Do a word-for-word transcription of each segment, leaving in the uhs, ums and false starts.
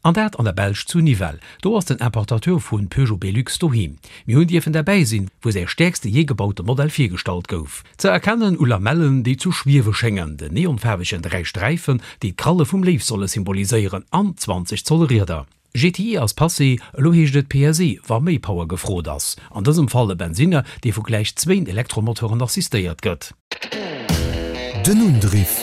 An dat an der Belsch zu Nivelles. Do ass den Importateur vu Peugeot Belux doheem. Mir hunn dierfen derbäi sinn, wou säi stäerkste jee gebaute Modell virgestallt gouf. Ze erkennen u Lamellen, déi zu schwiewe schéngen, den neonfaarwegen dräi Sträifen, déi d'Kralle vum Léiw solle symboliséieren, an zwanzeg Zoll Rieder. G T I ass passé, elo heescht et P S E, wa méi Power gefrot ass. An dësem Fall e Bensinner, dee vu gläich zwéin Elektromotoren assistéiert gëtt. Den Undriff.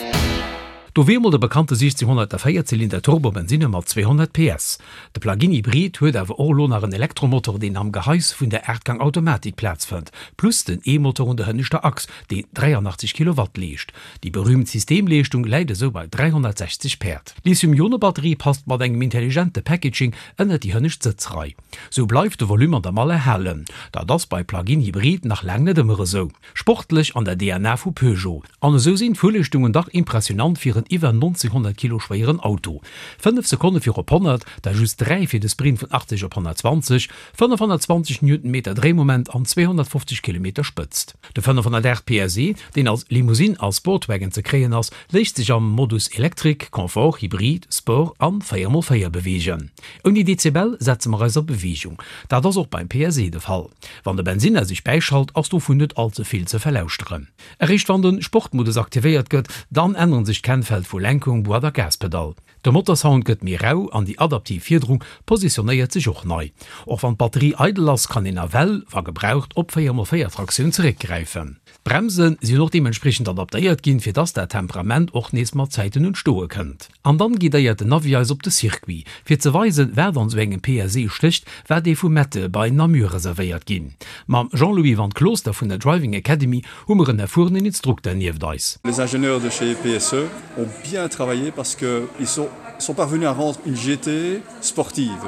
Do wier emol de bekannte siechzehnhonnertvéier Zylinder Turbo-Bensinner mat zweehonnert P S. De Plug-in Hybrid huet awer och elo nach en Elektromotor, deen am Gehais vun der Aachtgang-Automatik Plaz fënnt, plus den E-Motor un der hënneschter Achs, deen dräianachtzeg Kilowatt leescht. Déi berüümt Systemleeschtung läit esou bei dräihonnertsechzeg Päerd. D'Lithium-Ionen-Batterie passt mat engem intelligente Packaging ënnert déi hënnescht Sëtzrei. Sou bleift de Volume an der Mall erhalen. Dat ass bei Plug-in Hybrid nach laang net ëmmer esou. Sportlech an der D N A vu Peugeot. An esou sinn d'Fuerleeschtungen dach impressionant fir en iwwer neunzehnhundert Kilo schwéieren Auto. Fënnef Sekonne fir op honnert, da just dräi fir de Sprint vun achtzeg op honnertzwanzeg, fënnefhonnertzwanzeg Newtonmeter Dréimoment an zweehonnertfofzeg Kilometer Spëtzt. De fënnefhonnertaacht P S E, deen als Limousine a Sportwagon ze kréien ass, léisst sech am Modus Electric, Confort, Hybrid, Sport an véier mol véier beweegen. Ouni Dezibel setze mer eis a Beweegung. Dat ass och beim P S E de Fall. Wann de Bensinner sech bäischalt, ass dovun net all ze vill ze verlauschteren. Eréischt wann de Sportmodus aktivéiert gëtt, dann änneren sech d'Kennfeld vu Lenkung, Boîte a Gaspedal. De Motorsound gëtt méi rau an déi adaptiv Fiederung positionéiert sech och nei. Och wann d'Batterie eidel ass, kann een nawell, wa gebraucht, op véier mol véier Traktioun zeréckgräifen. D'Bremse sinn och deementspriechend adaptéiert ginn, fir dass dat Temperament och nees mat Zäiten un d'Stoe kënnt. An dann guidéiert den Navi eis op de Circuit, fir ze weisen, wat an esou engem P S E stécht, wat ee vu Mettet bei Namur reservéiert ginn. Mam Jean-Louis van Klooster vun der Driving Academy hu mer en erfuerenen Instrukter nieft eis. Les ingénieurs de chez P S E ont bien travaillé parce que ils sont, sont parvenus à rendre une G T sportive.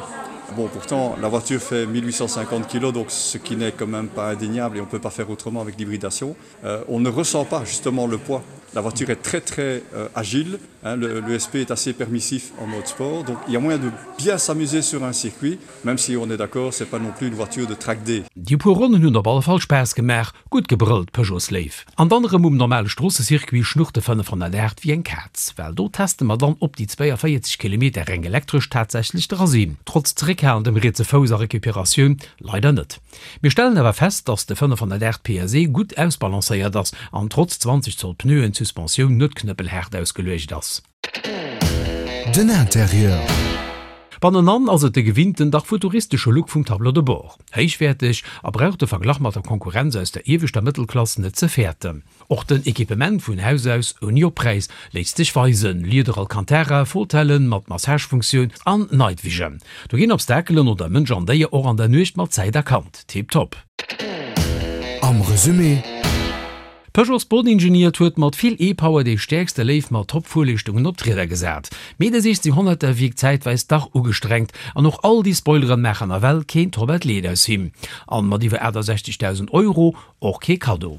Bon, pourtant, la voiture fait mille huit cent cinquante kilos, donc ce qui n'est quand même pas indéniable et on peut pas faire autrement avec l'hybridation. Euh, on ne ressent pas justement le poids. La voiture est très, très, euh, agile, hein, le, l'E S P est assez permissif en mode sport, donc il y a moyen de bien s'amuser sur un circuit, même si on est d'accord, c'est pas non plus une voiture de track day. Déi puer Ronnen hunn op alle Fall Spaass gemaach, gutt gebrëllt, Peugeots Léif. An dann erëm um normale Stroossecircuit schnurrt de fënnefhonnertaacht wéi eng Kaz, well do teste mer dann, ob déi zweiundvierzig Kilometer reng elektresch tatsächlech dra sinn. Trotz zeréckhalendem rietse Fouss a Recuperatioun leider net. Mir stellen awer fest, dass de fënnefhonnertaacht P S E gutt ausbalancéiert ass an trotz zwanzeg Zoll Pneuen d'Suspensioun net knëppelhaart ausgeluecht ass. Den Interieur. Bannenan ass et de gewinnten, dach futuristesche Look vum Tableau de bord. Héichwäerteg a braucht de Verglach mat der Konkurrenz aus der ieweschter Mëttelklass net ze fäerten. Och den Equipement vun Haus aus ouni Oppräis léisst sech weisen: Lieder Alcantara, Fauteuilen mat Massagefunktioun an Night Vision. Do ginn Obstakelen oder Mënsch an Déier och an der Nuecht mat Zäit erkannt. Tipptopp. Am Resumé: Peugeot Sport-Ingenieur huet mat vill E-Power déi stäerkste Léif mat Top-Fuerleeschtungen op d'Rieder gesat. Mee de siechzehnhonnerter wierkt zäitweis dach ugestrengt an och all déi Spoileren maachen nawell keen Top-Athlet aus him. An mat iwwer achtundsechzigtausend Euro och kee Kaddo.